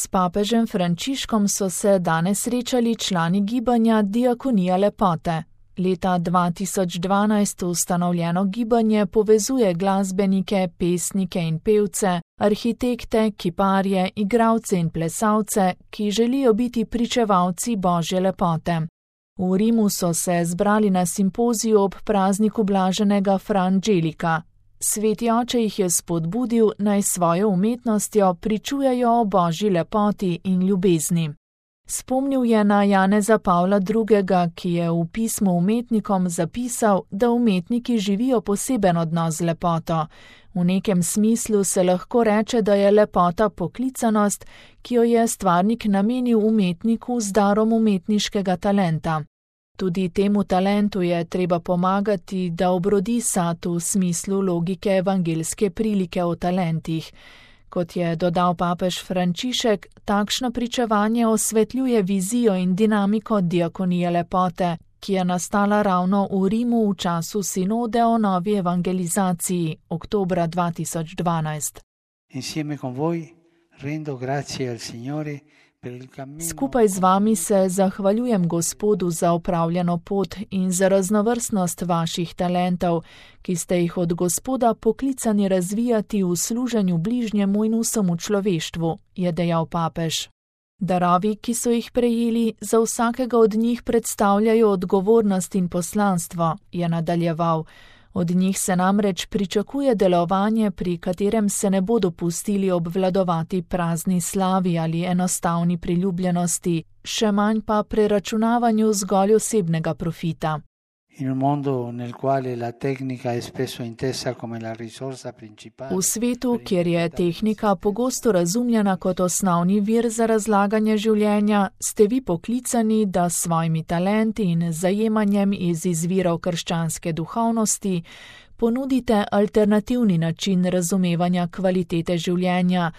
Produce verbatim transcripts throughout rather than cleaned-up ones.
S papežem Frančiškom so se danes srečali člani gibanja Diakonija lepote. Leta dva tisoč dvanajst ustanovljeno gibanje povezuje glasbenike, pesnike in pevce, arhitekte, kiparje, igralce in plesalce, ki želijo biti pričevalci Božje lepote. V Rimu so se zbrali na simpoziju ob prazniku blaženega Fra Angelika. Sveti oče jih je spodbudil, naj svojo umetnostjo pričujejo o Božji lepoti in ljubezni. Spomnil je na Janeza Pavla drugega., ki je v pismu umetnikom zapisal, da umetniki živijo poseben odnos z lepoto. V nekem smislu se lahko reče, da je lepota poklicanost, ki jo je stvarnik namenil umetniku z darom umetniškega talenta. Tudi temu talentu je treba pomagati, da obrodi sad v smislu logike evangelske prilike o talentih. Kot je dodal papež Frančišek, takšno pričevanje osvetljuje vizijo in dinamiko Diakonije lepote, ki je nastala ravno v Rimu v času sinode o novi evangelizaciji, oktobra dva tisoč dvanajst. Insieme con voi rendo grazie al Signore. Skupaj z vami se zahvaljujem Gospodu za opravljeno pot in za raznovrstnost vaših talentov, ki ste jih od Gospoda poklicani razvijati v služenju bližnjemu in vsemu človeštvu, je dejal papež. Darovi, ki so jih prejeli, za vsakega od njih predstavljajo odgovornost in poslanstvo, je nadaljeval. Od njih se namreč pričakuje delovanje, pri katerem se ne bodo pustili obvladovati prazni slavi ali enostavni priljubljenosti, še manj pa preračunavanju zgolj osebnega profita. In un mondo nel quale la tecnica è spesso intesa come la risorsa principale. V svetu, kjer je tehnika pogosto razumljena kot osnovni vir za razlaganje življenja, ste vi poklicani, da s svojimi talenti in zajemanjem iz izvirov krščanske duhovnosti ponudite alternativni način razumevanja kvalitete življenja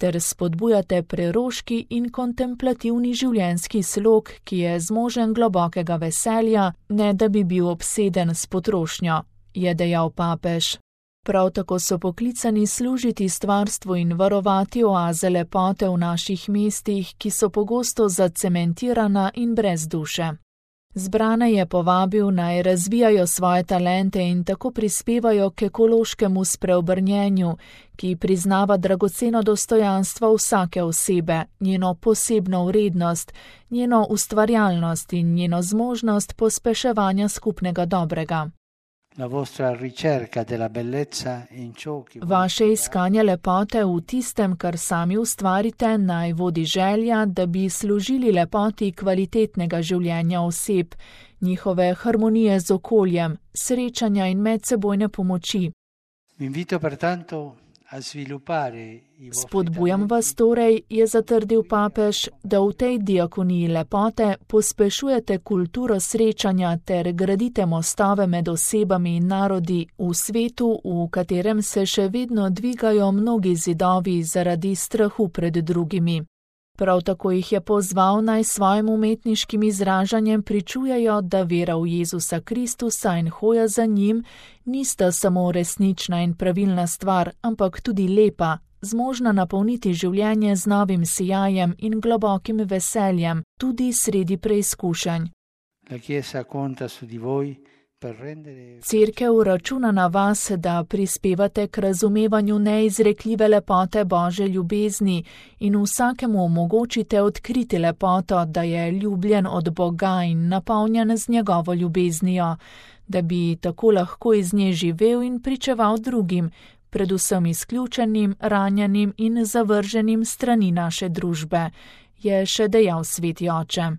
ter spodbujate preroški in kontemplativni življenjski slog, ki je zmožen globokega veselja, ne da bi bil obseden s potrošnjo, je dejal papež. Prav tako so poklicani služiti stvarstvu in varovati oaze lepote v naših mestih, ki so pogosto zacementirana in brez duše. Zbrane je povabil, naj razvijajo svoje talente in tako prispevajo k ekološkemu spreobrnjenju, ki priznava dragoceno dostojanstvo vsake osebe, njeno posebno vrednost, njeno ustvarjalnost in njeno zmožnost pospeševanja skupnega dobrega. La vostra ricerca della bellezza in ciò che Vaše iskanje lepote v tistem, kar sami ustvarite, naj vodi želja, da bi služili lepoti kvalitetnega življenja oseb, njihove harmonije z okoljem, srečanja in medsebojne pomoči. Vi invito pertanto a sviluppare i vostri Spodbujam vas torej, je zatrdil papež, da v tej diakoniji lepote pospešujete kulturo srečanja ter gradite mostove med osebami in narodi v svetu, v katerem se še vedno dvigajo mnogi zidovi zaradi strahu pred drugimi. Prav tako jih je pozval, naj svojim umetniškim izražanjem pričujejo, da vera v Jezusa Kristusa in hoja za njim nista samo resnična in pravilna stvar, ampak tudi lepa, zmožna napolniti življenje z novim sijajem in globokim veseljem, tudi sredi preizkušenj. La Chiesa conta su di voi. Cerkev računa na vas, da prispevate k razumevanju neizrekljive lepote Božje ljubezni in vsakemu omogočite odkriti lepoto, da je ljubljen od Boga in napolnjen z njegovo ljubeznijo, da bi tako lahko iz nje živel in pričeval drugim, predvsem izključenim, ranjenim in zavrženim strani naše družbe, je še dejal sveti oče.